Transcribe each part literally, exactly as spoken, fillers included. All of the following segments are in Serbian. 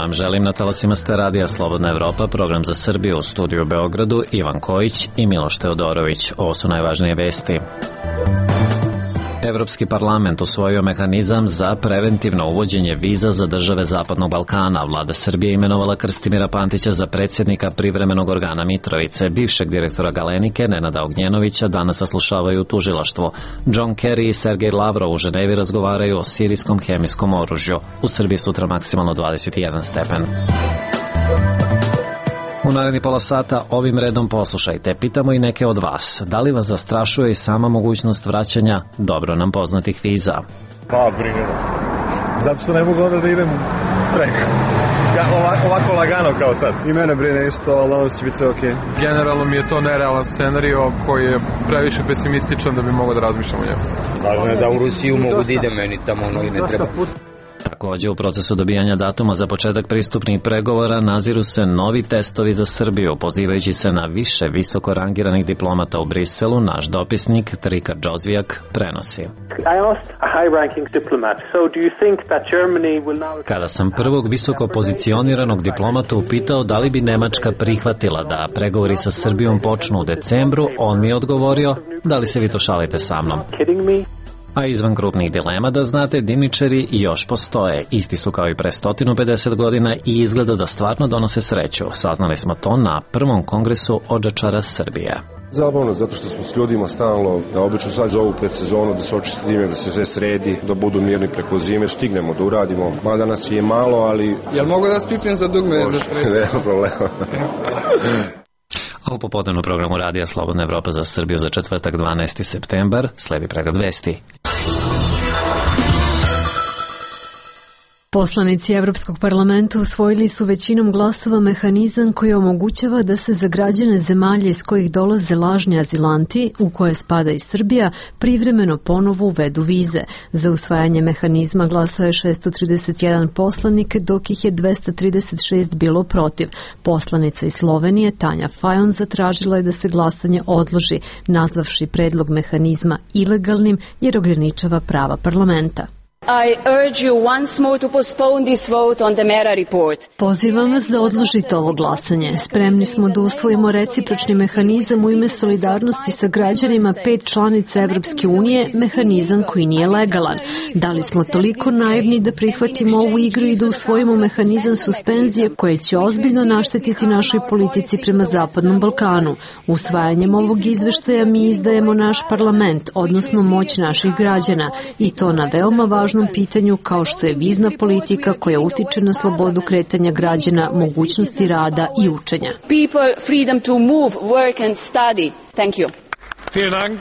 vam želim na talasima ste radija Slobodna Evropa, program za Srbiju, u studiju u Beogradu, Ivan Kojić i Miloš Teodorović. Ovo su najvažnije vesti. Evropski parlament usvojio mehanizam za preventivno uvođenje viza za države Zapadnog Balkana. Vlada Srbije imenovala Krstimira Pantića za predsjednika privremenog organa Mitrovice. Bivšeg direktora Galenike, Nenada Ognjenovića, danas saslušavaju u tužilaštvu. John Kerry i Sergej Lavrov u Ženevi razgovaraju o sirijskom hemijskom oružju. U Srbiji sutra maksimalno dvadeset jedan stepen. U naredni pola sata ovim redom poslušajte. Pitamo i neke od vas. Da li vas zastrašuje i sama mogućnost vraćanja dobro nam poznatih viza? Pa, brine. Zato što ne mogu onda da idem preko. Ja, ovako, ovako lagano kao sad. I mene brine isto, ali nadam se će biti sve okej. Okay. Generalno mi je to nerealan scenario koji je previše pesimističan da bi mogao da razmišljam o njemu. Važno je da u Rusiju mogu da idem, meni tamo ono i ne treba. Takođe, u procesu dobijanja datuma za početak pristupnih pregovora naziru se novi testovi za Srbiju. Pozivajući se na više visoko rangiranih diplomata u Briselu, naš dopisnik Trika Džozvijak prenosi. Kada sam prvog visoko pozicioniranog diplomata upitao da li bi Nemačka prihvatila da pregovori sa Srbijom počnu u decembru, on mi je odgovorio: da li se vi to šalite sa mnom? A izvan krupnih dilema, da znate, dimničari još postoje. Isti su kao i pre sto pedeset godina i izgleda da stvarno donose sreću. Saznali smo to na prvom kongresu odžačara Srbije. Zabavno, zato što smo s ljudima stalno, da obično sad zovu pred sezonu, da se očisti dime, da se sve sredi, da budu mirni preko zime, stignemo da uradimo. Mada nas je malo, ali... Jel mogu da spipnem za dugme za sreću? Nema problema. A u popodnevnom programu Radija Slobodna Evropa za Srbiju za četvrtak dvanaesti septembar sledi pregled vesti. Poslanici Evropskog parlamenta usvojili su većinom glasova mehanizam koji omogućava da se za građane zemalja iz kojih dolaze lažni azilanti, u koje spada i Srbija, privremeno ponovo uvedu vize. Za usvajanje mehanizma glasao je šessto trideset jedan poslanik, dok ih je dvesta trideset šest bilo protiv. Poslanica iz Slovenije Tanja Fajon zatražila je da se glasanje odloži, nazvavši predlog mehanizma ilegalnim jer ograničava prava parlamenta. I urge you once more to postpone this vote on the Mera report. Pozivam vas da odložite ovo glasanje. Spremni smo da usvojimo recipročni mehanizam u ime solidarnosti sa građanima pet članica Evropske unije, mehanizam koji nije legalan. Da li smo toliko naivni da prihvatimo ovu igru i da usvojimo mehanizam suspenzije koje će ozbiljno naštetiti našoj politici prema Zapadnom Balkanu? Usvajanjem ovog izveštaja mi izdajemo naš parlament, odnosno moć naših građana, i to na veoma važnom pitanju kao što je vizna politika koja utiče na slobodu kretanja građana, mogućnosti rada i učenja. People freedom to move, work and study. Thank you. Vielen Dank.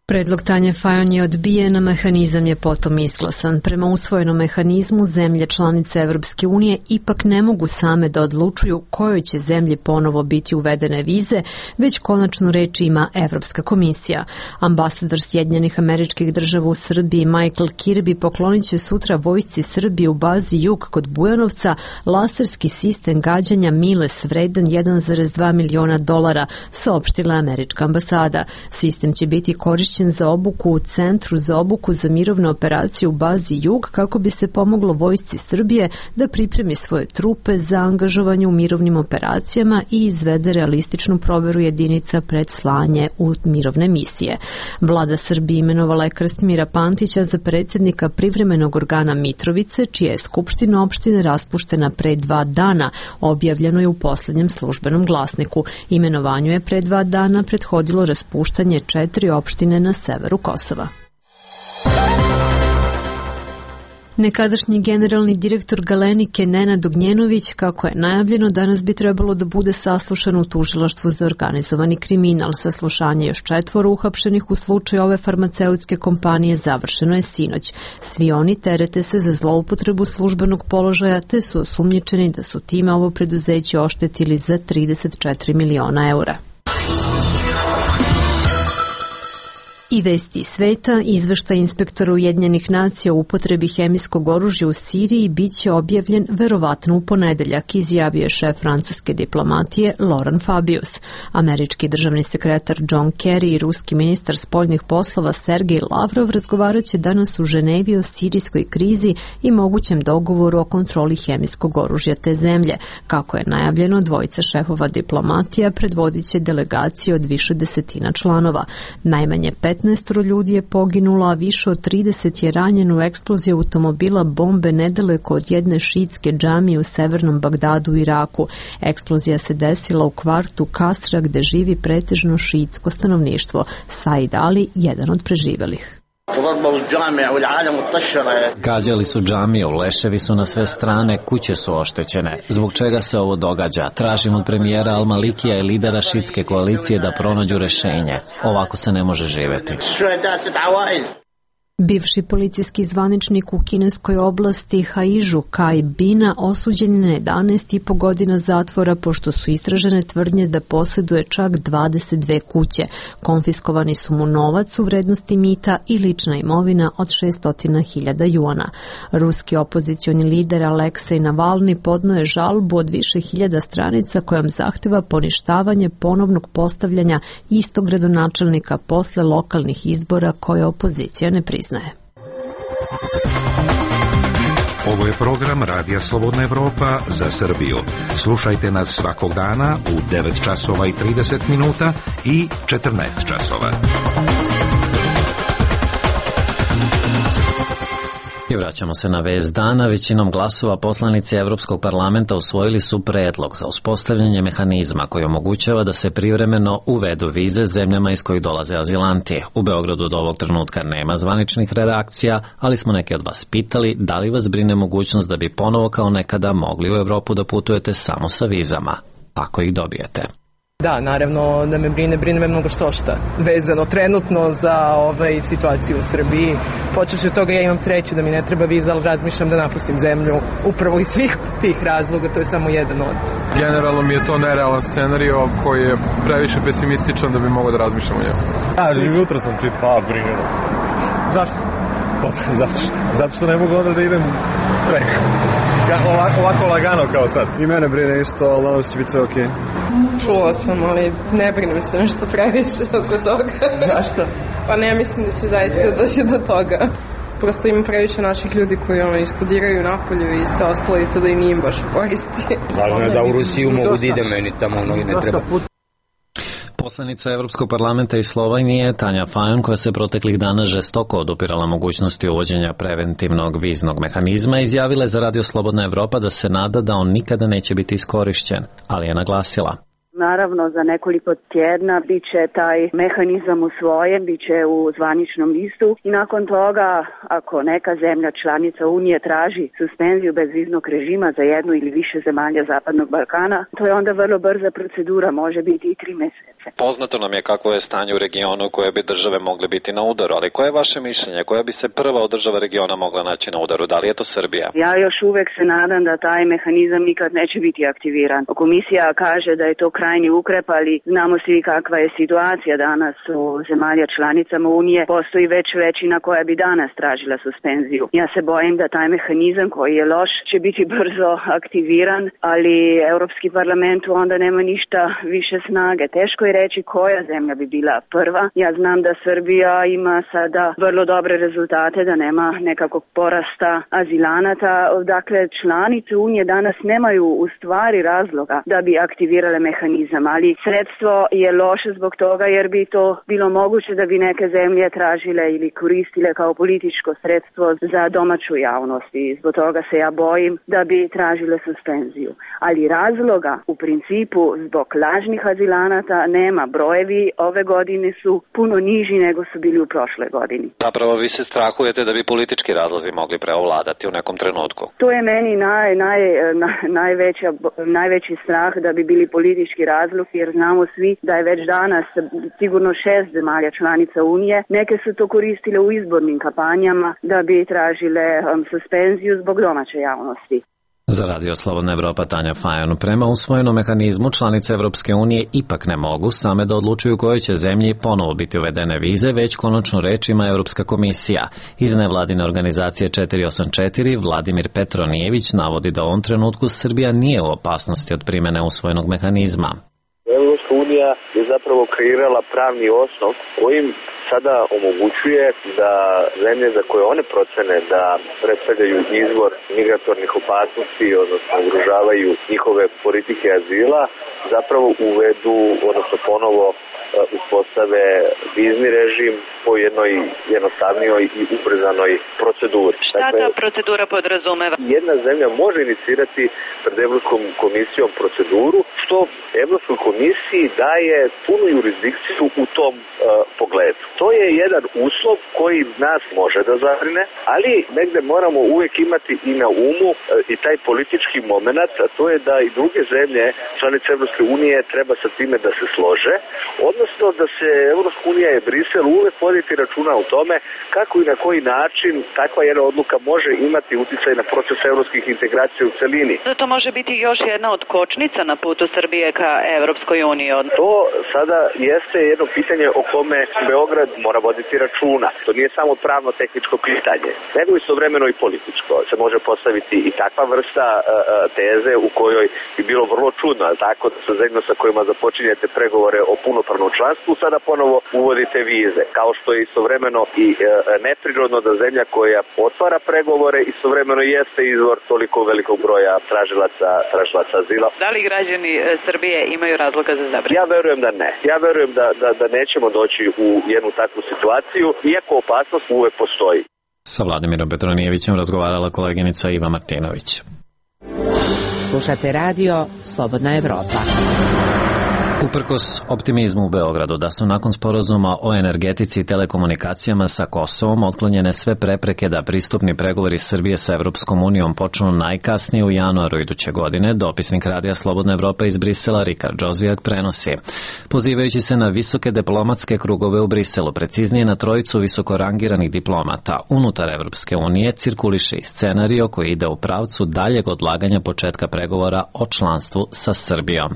Predlog Tanje Fajon je odbijen, a mehanizam je potom izglasan. Prema usvojenom mehanizmu, zemlje članice Evropske unije ipak ne mogu same da odlučuju kojoj će zemlji ponovo biti uvedene vize, već konačnu reč ima Evropska komisija. Ambasador Sjedinjenih Američkih Država u Srbiji Michael Kirby poklonit će sutra vojsci Srbije u bazi Jug kod Bujanovca laserski sistem gađanja Miles vredan jedan zarez dva miliona dolara, saopštila američka ambasada. Sistem će biti korišćen za obuku u Centru za obuku za mirovne operacije u bazi Jug kako bi se pomoglo vojsci Srbije da pripremi svoje trupe za angažovanje u mirovnim operacijama i izvede realističnu proveru jedinica pred slanje u mirovne misije. Vlada Srbije imenovala je Krstimira Pantića za predsjednika privremenog organa Mitrovice, čija je skupština opštine raspuštena pre dva dana, objavljeno je u poslednjem službenom glasniku. Imenovanju je pre dva dana prethodilo raspuštanje četiri opštine na severu Kosova. Nekadašnji generalni direktor Galenike Nenad Ognjenović, kako je najavljeno, danas bi trebalo da bude saslušan u tužilaštvu za organizovani kriminal. Saslušanje još četvoro uhapšenih u slučaju ove farmaceutske kompanije završeno je sinoć. Svi oni terete se za zloupotrebu službenog položaja, te su osumnjičeni da su time ovo preduzeće oštetili za trideset četiri miliona eura. I vesti sveta, izveštaj inspektora Ujedinjenih nacija o upotrebi hemijskog oružja u Siriji biće objavljen verovatno u ponedeljak, izjavio je šef francuske diplomatije Laurent Fabius. Američki državni sekretar John Kerry i ruski ministar spoljnih poslova Sergej Lavrov razgovarat će danas u Ženevi o sirijskoj krizi i mogućem dogovoru o kontroli hemijskog oružja te zemlje. Kako je najavljeno, dvojica šefova diplomatija predvodit će delegacije od više desetina članova. Najmanje petnaest ljudi je poginulo, a više od trideset je ranjeno u eksploziji automobila bombe nedaleko od jedne šiitske džamije u severnom Bagdadu u Iraku. Eksplozija se desila u kvartu Kasra gde živi pretežno šiitsko stanovništvo. Said Ali, jedan od preživelih. Gađali su džamiju, leševi su na sve strane, kuće su oštećene. Zbog čega se ovo događa? Tražim od premijera Al-Malikija i lidera šiitske koalicije da pronađu rešenje. Ovako se ne može živeti. Bivši policijski zvaničnik u kineskoj oblasti Haižu Kai Bina osuđen je na jedanaest i po godina zatvora pošto su istražene tvrdnje da posjeduje čak dvadeset dve kuće. Konfiskovani su mu novac u vrednosti mita i lična imovina od šesto hiljada juana. Ruski opozicioni lider Aleksej Navalni podnio je žalbu od više hiljada stranica kojom zahteva poništavanje ponovnog postavljanja istog gradonačelnika posle lokalnih izbora koje opozicija ne priznaje. Ovo je program Radija Slobodna Evropa za Srbiju. Slušajte nas svakog dana u devet časova i trideset minuta i četrnaest časova. I vraćamo se na vest dana. Većinom glasova poslanici Evropskog parlamenta usvojili su predlog za uspostavljanje mehanizma koji omogućava da se privremeno uvedu vize zemljama iz kojih dolaze azilanti. U Beogradu do ovog trenutka nema zvaničnih redakcija, ali smo neki od vas pitali da li vas brine mogućnost da bi ponovo kao nekada mogli u Evropu da putujete samo sa vizama, ako ih dobijete. Da, naravno da me brine, brine me mnogo što šta vezano trenutno za ovaj situaciju u Srbiji. Počevši od toga ja imam sreću da mi ne treba viza, ali razmišljam da napustim zemlju upravo iz svih tih razloga, to je samo jedan od. Generalno mi je to nerealan scenario koji je previše pesimističan da bi mogao da razmišljam o njemu. A, jutro sam čitao, brine. Zašto? Zato što, zato što ne mogu onda da idem preko. Ja, ovako, ovako lagano kao sad. I mene brine isto, ali nadam se će biti sve okej. Čula sam, ali ne brinem se nešto previše oko toga. Zašto? Pa ne mislim da će zaista doći do toga. Prosto ima previše naših ljudi koji ono, i studiraju napolju i sve ostalo i to da i nije baš u koristi. Važno je da u Rusiju mogu da ide, meni tamo ono i ne treba. Poslanica Evropskog parlamenta iz Slovenije Tanja Fajon, koja se proteklih dana žestoko odupirala mogućnosti uvođenja preventivnog viznog mehanizma, izjavila je za Radio Slobodna Evropa da se nada da on nikada neće biti iskorišćen, ali je naglasila. Naravno, za nekoliko tjedna bit će taj mehanizam usvojen, bit će u zvaničnom listu i nakon toga, ako neka zemlja članica Unije traži suspenziju bezviznog režima za jednu ili više zemalja Zapadnog Balkana, to je onda vrlo brza procedura, može biti i tri mjeseca. Poznato nam je kako je stanje u regionu koje bi države mogle biti na udaru, ali koje je vaše mišljenje? Koja bi se prva od država regiona mogla naći na udaru? Da li je to Srbija? Ja još uvek se nadam da taj mehanizam nikad neće biti aktiviran. Komisija kaže da je to krajnji ukrep, ali znamo svi kakva je situacija danas u zemalja članicama Unije. Postoji već većina koja bi danas tražila suspenziju. Ja se bojim da taj mehanizam koji je loš će biti brzo aktiviran, ali Europski parlament onda nema ništa više snage. Teško je reći koja zemlja bi bila prva. Ja znam da Srbija ima sada vrlo dobre rezultate, da nema nekakvog porasta azilanata. Dakle, članice Unije danas nemaju u stvari razloga da bi aktivirale mehanizam, ali sredstvo je loše zbog toga jer bi to bilo moguće da bi neke zemlje tražile ili koristile kao političko sredstvo za domaću javnost i zbog toga se ja bojim da bi tražile suspenziju. Ali razloga u principu zbog lažnih azilanata nema. Brojevi ove godine su puno niži nego su bili u prošle godini. Zapravo vi se strahujete da bi politički razlozi mogli preovladati u nekom trenutku? To je meni naj, naj, naj, najveća, najveći strah da bi bili politički razlog, jer znamo svi da je već danas sigurno šest zemalja članica Unije. Neke su to koristile u izbornim kampanjama da bi tražile um, suspenziju zbog domaće javnosti. Za Radio Slobodna Evropa Tanja Fajon. Prema usvojenom mehanizmu članice Evropske unije ipak ne mogu same da odlučuju kojoj će zemlji ponovo biti uvedene vize, već konačno reč ima Evropska komisija. Iz nevladine organizacije četiri osam četiri Vladimir Petronijević navodi da u ovom trenutku Srbija nije u opasnosti od primene usvojenog mehanizma. Evropska unija je zapravo kreirala pravni osnov kojim sada omogućuje da zemlje za koje one procene da predstavljaju izvor migratornih opasnosti, odnosno ugrožavaju njihove politike azila, zapravo uvedu, odnosno ponovo uspostave vizni režim po jednoj jednostavnijoj i ubrzanoj proceduri. Šta dakle, ta procedura podrazumeva? Jedna zemlja može inicirati pred Evropskom komisijom proceduru, što Evropskoj komisiji daje punu jurisdikciju u tom uh, pogledu. To je jedan uslov koji nas može da zabrine, ali negde moramo uvijek imati i na umu uh, i taj politički moment, a to je da i druge zemlje, članice Evropske unije, treba sa time da se slože, odnosno da se Evropska unija i Brisel uvek voditi računa o tome kako i na koji način takva jedna odluka može imati uticaj na proces evropskih integracija u celini. To može biti još jedna od kočnica na putu Srbije ka Evropskoj uniji. To sada jeste jedno pitanje o kome Beograd mora voditi računa. To nije samo pravno-tehničko pitanje, nego istovremeno i političko. Se može postaviti i takva vrsta uh, teze u kojoj bi bilo vrlo čudno, ali tako da sa zemljama sa kojima započinjete pregovore o punopravnom članstvu sada ponovo uvodite vize, kao što je istovremeno i uh, neprirodno da zemlja koja otvara pregovore istovremeno jeste izvor toliko velikog broja tražilaca, tražilaca azila. Da li građani Srbije imaju razloga za zabrinutost? Ja verujem da ne. Ja verujem da, da, da nećemo doći u jednu takvu situaciju, iako opasnost uvek postoji. Sa Vladimirom Petronijevićem razgovarala koleginica Iva Martinović. Slušate radio Slobodna Evropa. Uprkos optimizmu u Beogradu da su nakon sporazuma o energetici i telekomunikacijama sa Kosovom otklonjene sve prepreke da pristupni pregovori Srbije sa Evropskom unijom počnu najkasnije u januaru iduće godine, dopisnik Radija Slobodna Evropa iz Brisela Rikard Džozvijak prenosi. Pozivajući se na visoke diplomatske krugove u Briselu, preciznije na trojicu visoko rangiranih diplomata, unutar Evropske unije cirkuliše i scenario koji ide u pravcu daljeg odlaganja početka pregovora o članstvu sa Srbijom.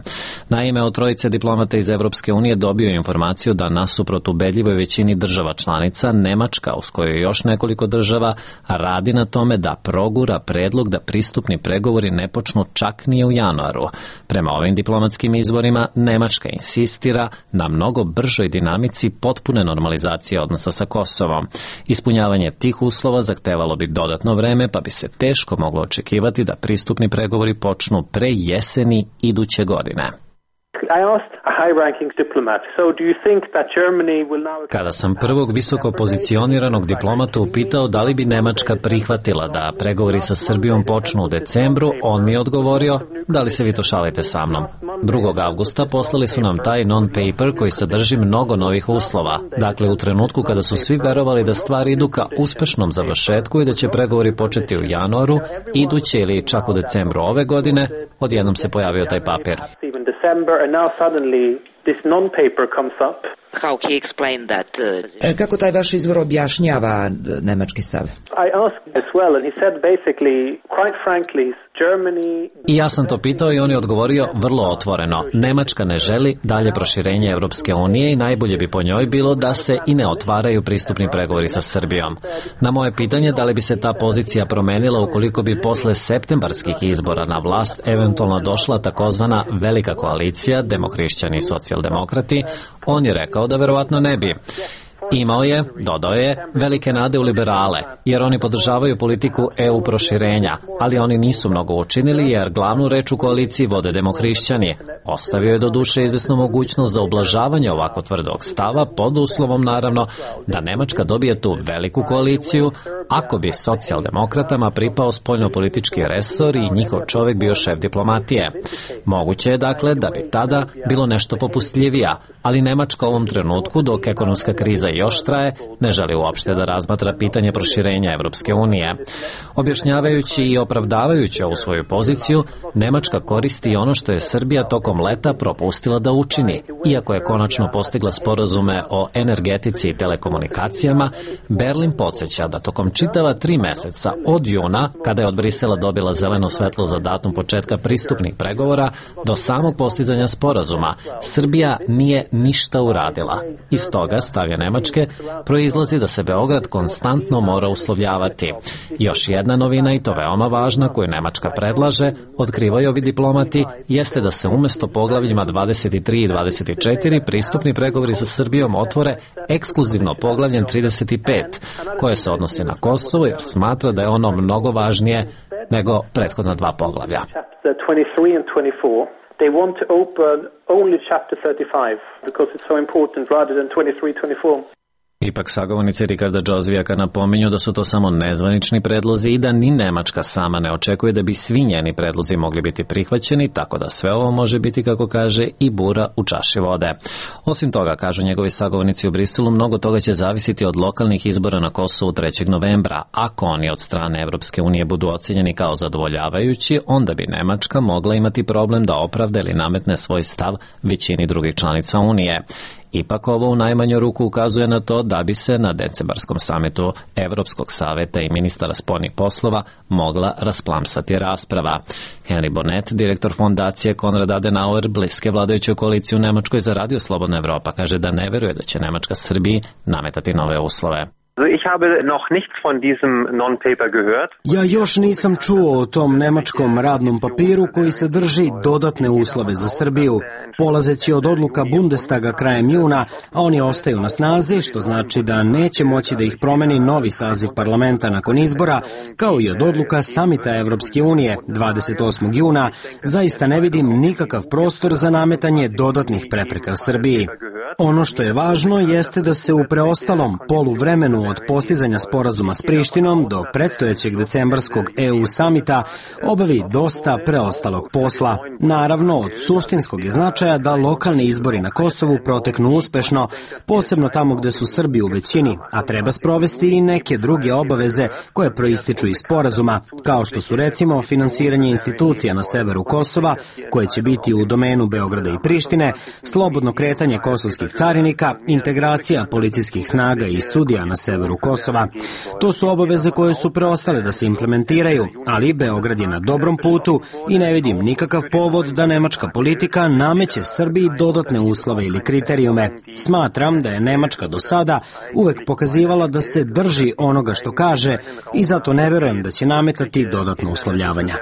Naime, od trojice diplomata iz Evropske unije dobio informaciju da nasuprot ubedljivoj većini država članica, Nemačka, uz koju još nekoliko država, radi na tome da progura predlog da pristupni pregovori ne počnu čak ni u januaru. Prema ovim diplomatskim izvorima, Nemačka insistira na mnogo bržoj dinamici potpune normalizacije odnosa sa Kosovom. Ispunjavanje tih uslova zahtevalo bi dodatno vreme, pa bi se teško moglo očekivati da pristupni pregovori počnu pre jeseni iduće godine. Kada sam prvog visoko pozicioniranog diplomata upitao da li bi Nemačka prihvatila da pregovori sa Srbijom počnu u decembru, on mi je odgovorio: da li se vi to šalite sa mnom? drugog avgusta poslali su nam taj non-paper koji sadrži mnogo novih uslova. Dakle, u trenutku kada su svi verovali da stvari idu ka uspešnom završetku i da će pregovori početi u januaru, iduće ili čak u decembru ove godine, odjednom se pojavio taj papir. This non-paper comes up. How he explained that? Uh... Kako taj vaš izvor objašnjava nemački stav? I asked as well and he said basically, quite frankly, Germany... I ja sam to pitao i on je odgovorio vrlo otvoreno. Nemačka ne želi dalje proširenje Evropske unije i najbolje bi po njoj bilo da se i ne otvaraju pristupni pregovori sa Srbijom. Na moje pitanje da li bi se ta pozicija promenila ukoliko bi posle septembarskih izbora na vlast eventualno došla takozvana velika koalicija, demohrišćani i socijaldemokrati, on je rekao da verovatno ne bi. Imao je, dodao je, velike nade u liberale, jer oni podržavaju politiku E U proširenja, ali oni nisu mnogo učinili jer glavnu reč u koaliciji vode demohrišćani. Ostavio je do duše izvesnu mogućnost za ublažavanje ovako tvrdog stava, pod uslovom naravno da Nemačka dobije tu veliku koaliciju, ako bi socijaldemokratama pripao spoljnopolitički resor i njihov čovjek bio šef diplomatije. Moguće je dakle da bi tada bilo nešto popustljivija, ali Nemačka u ovom trenutku, dok ekonomska kriza još traje, ne želi uopšte da razmatra pitanje proširenja Evropske unije. Objašnjavajući i opravdavajući ovu svoju poziciju, Nemačka koristi ono što je Srbija tokom leta propustila da učini. Iako je konačno postigla sporazume o energetici i telekomunikacijama, Berlin podsjeća da tokom čitava tri meseca od juna, kada je od Brisela dobila zeleno svetlo za datum početka pristupnih pregovora, do samog postizanja sporazuma, Srbija nije ništa uradila. Iz toga, stavlja Nemačke, proizlazi da se Beograd konstantno mora uslovljavati. Još jedna novina, i to veoma važna, koju Nemačka predlaže, otkrivaju ovi diplomati, jeste da se umesto poglavljima dvadeset tri i dvadeset četiri pristupni pregovori sa Srbijom otvore ekskluzivno poglavljem trideset pet, koje se odnosi na Kosovo, jer smatra da je ono mnogo važnije nego prethodna dva poglavlja. They want to open only chapter thirty-five because it's so important rather than twenty-three, twenty-four. Ipak sagovornici Ricarda Džozvijaka napominju da su to samo nezvanični predlozi i da ni Nemačka sama ne očekuje da bi svi njeni predlozi mogli biti prihvaćeni, tako da sve ovo može biti, kako kaže, i bura u čaši vode. Osim toga, kažu njegovi sagovornici u Briselu, mnogo toga će zavisiti od lokalnih izbora na Kosovu trećeg novembra. Ako oni od strane Evropske unije budu ocenjeni kao zadovoljavajući, onda bi Nemačka mogla imati problem da opravda ili nametne svoj stav većini drugih članica Unije. Ipak ovo u najmanju ruku ukazuje na to da bi se na decembarskom samitu Evropskog saveta i ministara spoljnih poslova mogla rasplamsati rasprava. Henry Bonnet, direktor fondacije Konrad Adenauer, bliske vladajućoj koaliciji u Nemačkoj za Radio Slobodna Evropa, kaže da ne veruje da će Nemačka Srbiji nametati nove uslove. Ja još nisam čuo o tom nemačkom radnom papiru koji sadrži dodatne uslove za Srbiju, polazeći od odluka Bundestaga krajem juna, a oni ostaju na snazi, što znači da neće moći da ih promeni novi saziv parlamenta nakon izbora, kao i od odluka samita Evropske unije dvadeset osmog juna, zaista ne vidim nikakav prostor za nametanje dodatnih prepreka Srbiji. Ono što je važno jeste da se u preostalom poluvremenu od postizanja sporazuma s Prištinom do predstojećeg decembarskog E U samita obavi dosta preostalog posla. Naravno, od suštinskog je značaja da lokalni izbori na Kosovu proteknu uspešno, posebno tamo gde su Srbi u većini, a treba sprovesti i neke druge obaveze koje proističu iz sporazuma, kao što su recimo finansiranje institucija na severu Kosova, koje će biti u domenu Beograda i Prištine, slobodno kretanje kosovskih carinika, integracija policijskih snaga i sudija na severu Kosova. To su obaveze koje su preostale da se implementiraju, ali Beograd je na dobrom putu i ne vidim nikakav povod da nemačka politika nameće Srbiji dodatne uslove ili kriterijume. Smatram da je Nemačka do sada uvek pokazivala da se drži onoga što kaže i zato ne verujem da će nametati dodatno uslovljavanja.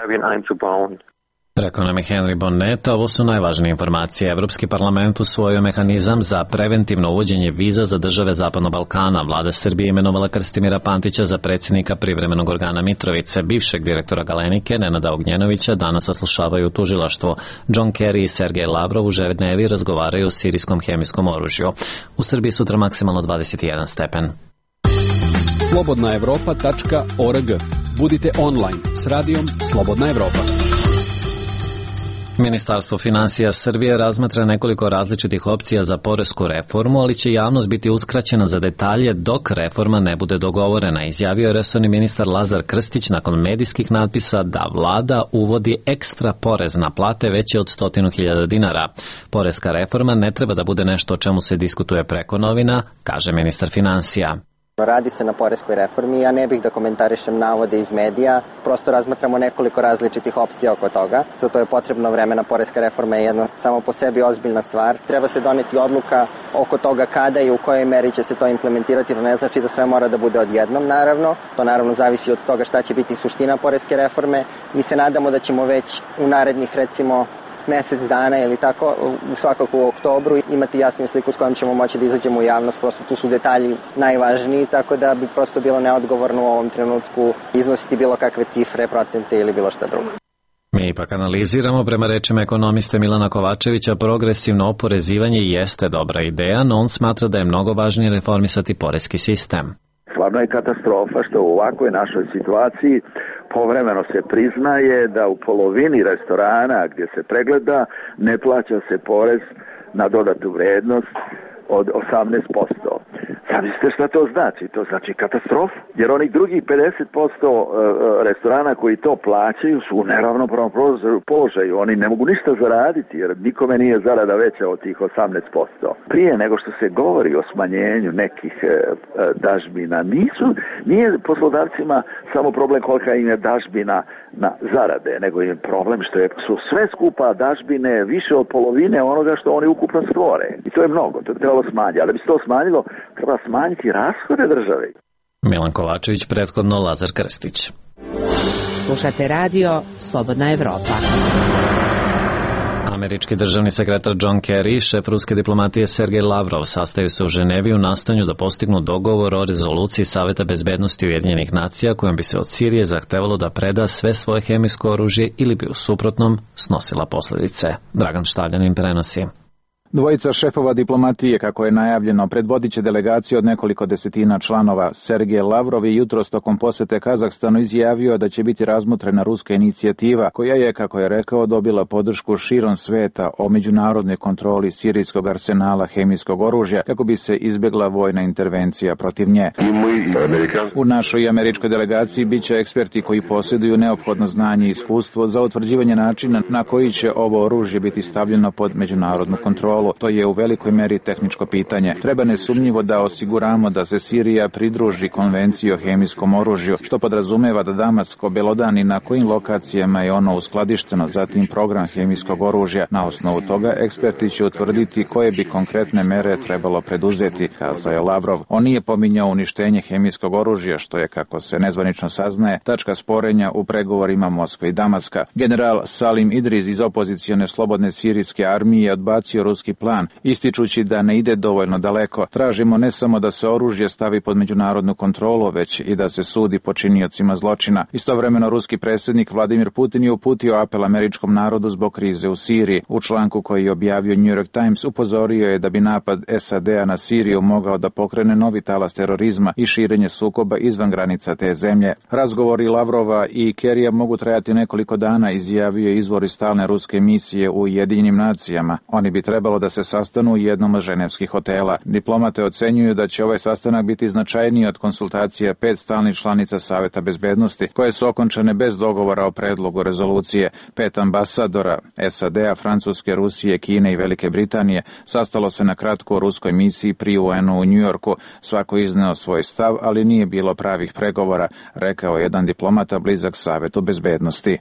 Rekao nam je Henry Bonnet, ovo su najvažnije informacije. Evropski parlament usvojio mehanizam za preventivno uvođenje viza za države Zapadnog Balkana. Vlada Srbije imenovala Krstimira Pantića za predsjednika privremenog organa Mitrovice. Bivšeg direktora Galenike, Nenada Ognjenovića, danas saslušavaju u tužilaštvu. John Kerry i Sergej Lavrov u Ženevi razgovaraju o sirijskom hemijskom oružju. U Srbiji sutra maksimalno dvadeset jedan stepen. slobodna evropa tačka org. Budite online s radijom Slobodna Evropa. Ministarstvo finansija Srbije razmatra nekoliko različitih opcija za poresku reformu, ali će javnost biti uskraćena za detalje dok reforma ne bude dogovorena, izjavio je resorni ministar Lazar Krstić nakon medijskih natpisa da vlada uvodi ekstra porez na plate veće od stotinu hiljada dinara. Poreska reforma ne treba da bude nešto o čemu se diskutuje preko novina, kaže ministar finansija. Radi se na poreskoj reformi, ja ne bih da komentarišem navode iz medija, prosto razmatramo nekoliko različitih opcija oko toga. Za to je potrebno vremena, poreska reforma je jedna samo po sebi ozbiljna stvar. Treba se doneti odluka oko toga kada i u kojoj meri će se to implementirati, to ne znači da sve mora da bude odjednom, naravno. To naravno zavisi od toga šta će biti suština poreske reforme. Mi se nadamo da ćemo već u narednih, recimo, mesec dana ili tako, svakako u oktobru, imati jasnu sliku s kojom ćemo moći da izađemo u javnost, prosto tu su detalji najvažniji, tako da bi prosto bilo neodgovorno u ovom trenutku iznositi bilo kakve cifre, procente ili bilo šta drugo. Mi ipak analiziramo, prema rečima ekonomiste Milana Kovačevića, progresivno oporezivanje jeste dobra ideja, no on smatra da je mnogo važnije reformisati poreski sistem. Stvarno je katastrofa što u ovakvoj našoj situaciji povremeno se priznaje da u polovini restorana gdje se pregleda ne plaća se porez na dodatu vrednost od osamnaest posto. Zamislite šta to znači? To znači katastrofu. Jer onih drugih pedeset posto restorana koji to plaćaju su u neravnopravnom položaju. Oni ne mogu ništa zaraditi jer nikome nije zarada veća od tih osamnaest posto. Prije nego što se govori o smanjenju nekih dažbina, nisu, nije poslodavcima samo problem kolika im je dažbina na zarade, nego je problem što je, su sve skupa dažbine više od polovine onoga što oni ukupno stvore. I to je mnogo, to je trebalo smanjiti. Ali da bi se to smanjilo, treba smanjiti rashode države. Milan Kovačević, prethodno Lazar Krstić. Slušate radio Slobodna Evropa. Američki državni sekretar John Kerry i šef ruske diplomatije Sergej Lavrov sastaju se u Ženevi u nastojanju da postignu dogovor o rezoluciji Saveta bezbednosti Ujedinjenih nacija kojom bi se od Sirije zahtevalo da preda sve svoje hemijsko oružje ili bi u suprotnom snosila posledice. Dragan Štavljanin prenosi. Dvojica šefova diplomatije, kako je najavljeno, predvodit će delegaciju od nekoliko desetina članova. Sergej Lavrov je jutros tokom posete Kazahstanu izjavio da će biti razmotrena ruska inicijativa, koja je, kako je rekao, dobila podršku širom sveta o međunarodnoj kontroli sirijskog arsenala hemijskog oružja, kako bi se izbjegla vojna intervencija protiv nje. U našoj američkoj delegaciji bit će eksperti koji posjeduju neophodno znanje i iskustvo za utvrđivanje načina na koji će ovo oružje biti stavljeno pod međunarodnu kontrolu. To je u velikoj meri tehničko pitanje. Treba nesumnjivo da osiguramo da se Sirija pridruži konvenciji o hemijskom oružju, što podrazumeva da Damask obelodani na kojim lokacijama je ono uskladišteno, zatim program hemijskog oružja. Na osnovu toga eksperti će utvrditi koje bi konkretne mere trebalo preduzeti, kazao je Lavrov. On nije pominjao uništenje hemijskog oružja, što je, kako se nezvanično saznaje, tačka sporenja u pregovorima Moskve i Damaska. General Salim Idriz iz opozicione slobodne sirijske armije je odbacio ruski plan, ističući da ne ide dovoljno daleko. Tražimo ne samo da se oružje stavi pod međunarodnu kontrolu, već i da se sudi počiniocima zločina. Istovremeno ruski predsjednik Vladimir Putin je uputio apel američkom narodu zbog krize u Siriji. U članku koji je objavio New York Times upozorio je da bi napad S A D-a na Siriju mogao da pokrene novi talas terorizma i širenje sukoba izvan granica te zemlje. Razgovori Lavrova i Kerrya mogu trajati nekoliko dana, izjavio je izvor iz stalne ruske misije u Ujedinjenim nacijama. Oni bi trebalo da se sastanu u jednom od ženevskih hotela. Diplomate ocenjuju da će ovaj sastanak biti značajniji od konsultacija pet stalnih članica Saveta bezbednosti, koje su okončane bez dogovora o predlogu rezolucije. Pet ambasadora S A D-a, Francuske, Rusije, Kine i Velike Britanije sastalo se na kratko u ruskoj misiji pri U N-u u Njujorku. Svako izneo svoj stav, ali nije bilo pravih pregovora, rekao jedan diplomata blizak Savetu bezbednosti.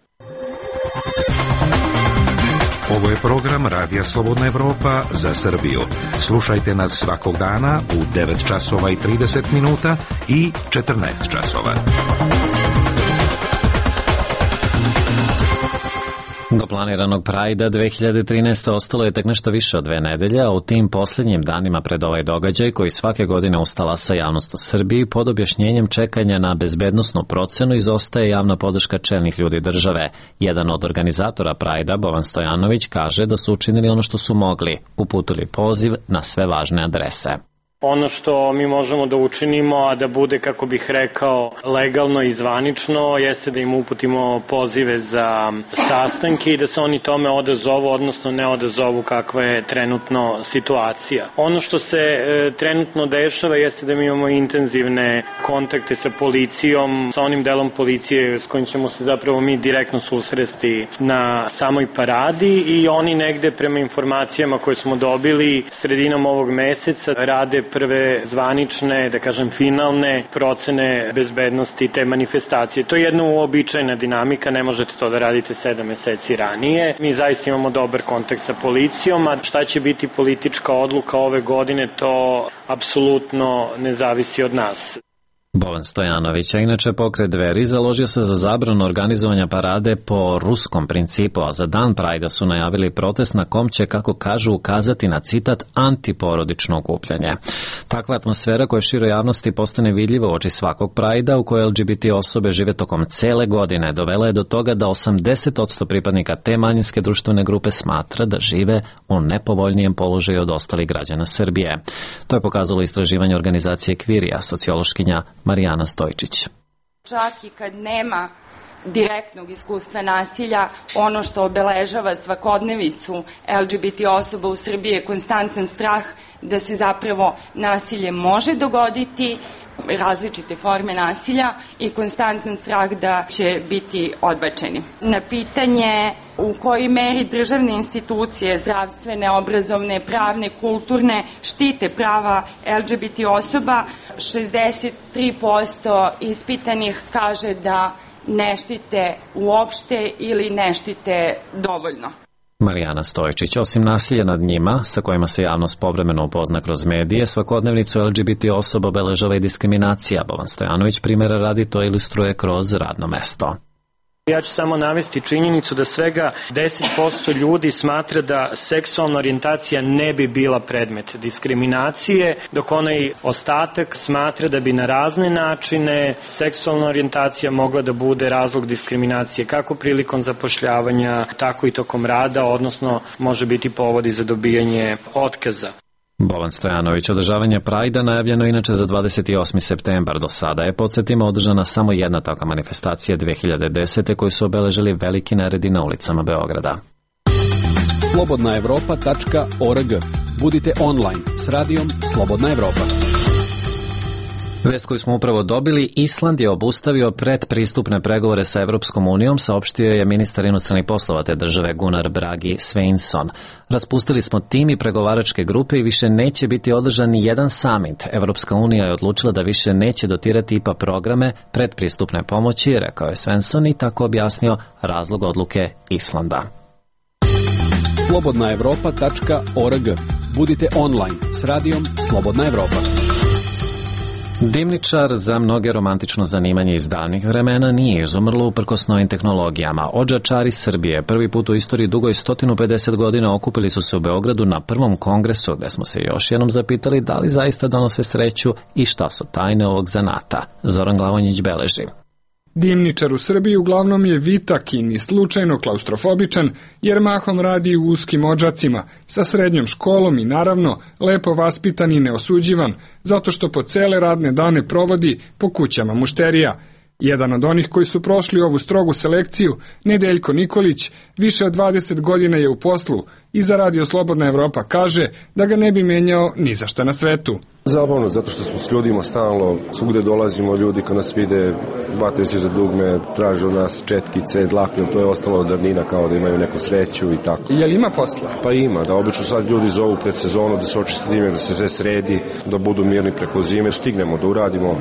Ovo je program Radija Slobodna Evropa za Srbiju. Slušajte nas svakog dana u devet časova i trideset minuta i četrnaest časova. Do planiranog Prajda dve hiljade trinaeste. ostalo je tek nešto više od dve nedelje, a u tim posljednjim danima pred ovaj događaj, koji svake godine ustala sa javnost u Srbiji, pod objašnjenjem čekanja na bezbednosnu procenu izostaje javna podrška čelnih ljudi države. Jedan od organizatora Prajda, Bovan Stojanović, kaže da su učinili ono što su mogli, uputili poziv na sve važne adrese. Ono što mi možemo da učinimo, a da bude, kako bih rekao, legalno i zvanično, jeste da im uputimo pozive za sastanke i da se oni tome odazovu, odnosno ne odazovu kakva je trenutno situacija. Ono što se e, trenutno dešava jeste da mi imamo intenzivne kontakte sa policijom, sa onim delom policije s kojim ćemo se zapravo mi direktno susresti na samoj paradi i oni negde prema informacijama koje smo dobili sredinom ovog meseca rade prve zvanične, da kažem finalne procene bezbednosti te manifestacije. To je jedna uobičajena dinamika, ne možete to da radite sedam meseci ranije. Mi zaista imamo dobar kontakt sa policijom, a šta će biti politička odluka ove godine, to apsolutno ne zavisi od nas. Bovan Stojanović, a inače pokret Dveri, založio se za zabranu organizovanja parade po ruskom principu, a za dan Prajda su najavili protest na kom će, kako kažu, ukazati na citat antiporodično okupljanje. Takva atmosfera koja široj javnosti postane vidljiva u oči svakog Prajda, u kojoj L G B T osobe žive tokom cele godine, dovela je do toga da osamdeset posto pripadnika te manjinske društvene grupe smatra da žive u nepovoljnijem položaju od ostalih građana Srbije. To je pokazalo istraživanje organizacije Kvirija, sociološkinja Marijana Stojčić. Čak i kad nema direktnog iskustva nasilja, ono što obeležava svakodnevicu L G B T osoba u Srbiji je konstantan strah da se zapravo nasilje može dogoditi, različite forme nasilja i konstantan strah da će biti odbačeni. Na pitanje u kojoj meri državne institucije, zdravstvene, obrazovne, pravne, kulturne, štite prava L G B T osoba, šezdeset tri posto ispitanih kaže da ne štite uopšte ili ne štite dovoljno. Marijana Stojčić, osim nasilja nad njima, sa kojima se javnost povremeno upozna kroz medije, svakodnevnicu L G B T osoba obeležava i diskriminacija. Boban Stojanović primjera radi to ilustruje kroz radno mesto. Ja ću samo navesti činjenicu da svega deset posto ljudi smatra da seksualna orijentacija ne bi bila predmet diskriminacije, dok onaj ostatak smatra da bi na razne načine seksualna orijentacija mogla da bude razlog diskriminacije kako prilikom zapošljavanja, tako i tokom rada, odnosno može biti povodi za dobijanje otkaza. Boban Stojanović, održavanje Prajda najavljeno inače za dvadeset osmi septembar. Do sada je, podsjetimo, održana samo jedna takva manifestacija dve hiljade desete koju su obeležili veliki neredi na ulicama Beograda. slobodna evropa tačka org. Budite online s radijom Slobodna Evropa. Vest koju smo upravo dobili, Island je obustavio predpristupne pregovore sa Evropskom unijom, saopštio je ministar inostranih poslova te države Gunnar Bragi Sveinsson. Raspustili smo tim i pregovaračke grupe i više neće biti održan ni jedan samit. Evropska unija je odlučila da više neće dotirati I P A programe predpristupne pomoći, rekao je Svensson i tako objasnio razlog odluke Islanda. slobodna evropa tačka org. Budite online s radijom Slobodna Evropa. Dimničar, za mnoge romantično zanimanje iz davnih vremena, nije izumrlo uprkos novim tehnologijama. Odžačari Srbije prvi put u istoriji dugoj sto pedeset godina okupili su se u Beogradu na prvom kongresu, gde smo se još jednom zapitali da li zaista donose sreću i šta su tajne ovog zanata. Zoran Glavonjić beleži. Dimničar u Srbiji uglavnom je vitak i ni slučajno klaustrofobičan, jer mahom radi u uskim odžacima, sa srednjom školom i naravno lepo vaspitan i neosuđivan, zato što po cele radne dane provodi po kućama mušterija. Jedan od onih koji su prošli ovu strogu selekciju, Nedeljko Nikolić, više od dvadeset godina je u poslu i za Radio Slobodna Evropa kaže da ga ne bi menjao ni za šta na svetu. Zabavno, zato što smo s ljudima stalno, svugde dolazimo, ljudi kad nas vide, hvataju se za dugme, traže od nas četkice, dlake, to je ostalo od davnina kao da imaju neku sreću i tako. Je li ima posla? Pa ima, da obično sad ljudi zovu pred sezonu da se očisti dime, da se sve sredi, da budu mirni preko zime, stignemo da uradimo,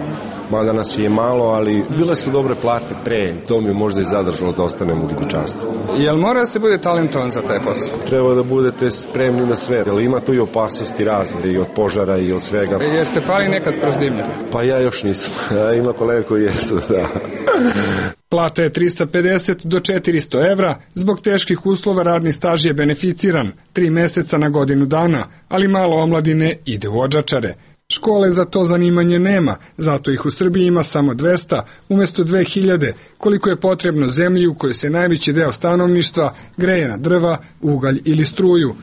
mada nas je malo, ali bile su dobre plate pre, to mi je možda i zadržalo da ostanemo u dimničarstvu. Jel mora da se bude talentovan za taj posao? Treba da budete spremni na sve, jer ima tu i opasnosti razne, i od požara i od svega. E, jeste pali nekad kroz dimnjak? Pa ja još nisam, ima kolega koji jesu, da. Plata je trista pedeset do četiristo evra, zbog teških uslova radni staž je beneficiran, tri meseca na godinu dana, ali malo omladine ide u odžačare. Škole za to zanimanje nema, zato ih u Srbiji ima samo dvesta, umjesto dve hiljade, koliko je potrebno zemlji u kojoj se najveći deo stanovništva greje na drva, ugalj ili struju.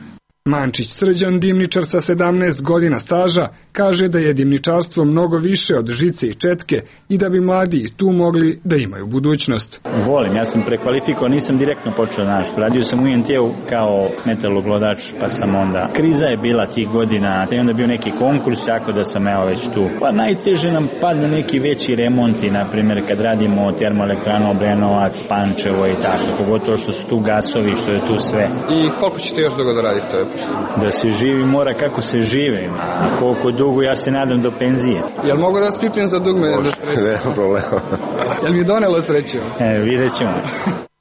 Mančić Srđan, dimničar sa sedamnaest godina staža, kaže da je dimničarstvo mnogo više od žice i četke i da bi mladi i tu mogli da imaju budućnost. Volim, ja sam prekvalifikovao, nisam direktno počeo naš. Radio sam u I N T-u kao metaloglodač, pa sam onda... Kriza je bila tih godina, te onda bio neki konkurs, tako da sam evo već tu. Pa najteže nam padne neki veći remonti, na primjer kad radimo termoelektranu Obrenovac, Pančevo i tako, pogotovo što su tu gasovi, što je tu sve. I koliko ćete još dugo da radite? Da se živi mora kako se žive, a koliko dugo ja se nadam do penzije. Jel mogu da spitam za dugme za sreću? Nema problema. Jel mi donelo sreću? E, vidjet ćemo.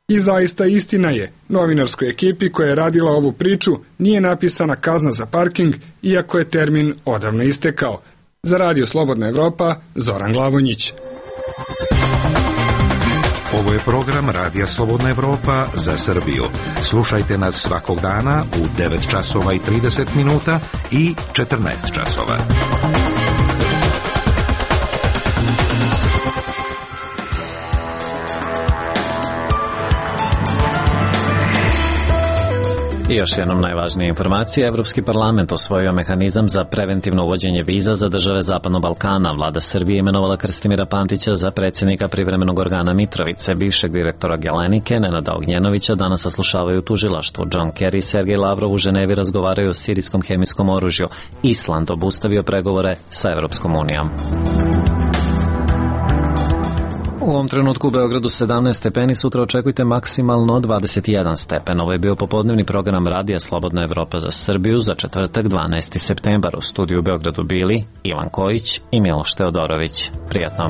I zaista istina je, novinarskoj ekipi koja je radila ovu priču nije napisana kazna za parking, iako je termin odavno istekao. Za Radio Slobodna Evropa, Zoran Glavonjić. Ovo je program Radija Slobodna Evropa za Srbiju. Slušajte nas svakog dana u devet časova i trideset minuta i četrnaest časova. I još jednom najvažnija informacija, Evropski parlament osvojio mehanizam za preventivno uvođenje viza za države Zapadnog Balkana. Vlada Srbije imenovala Krstimira Pantića za predsjednika privremenog organa Mitrovice. Bivšeg direktora Gelenike, Nenada Ognjenovića, danas saslušavaju u tužilaštvu. John Kerry i Sergej Lavrov u Ženevi razgovaraju o sirijskom hemijskom oružju. Island obustavio pregovore sa Evropskom unijom. U ovom trenutku u Beogradu sedamnaest stepeni, sutra očekujte maksimalno dvadeset jedan stepen. Ovo je bio popodnevni program Radija Slobodna Evropa za Srbiju za četvrtak dvanaesti septembar. U studiju u Beogradu bili Ivan Kojić i Miloš Teodorović. Prijatno.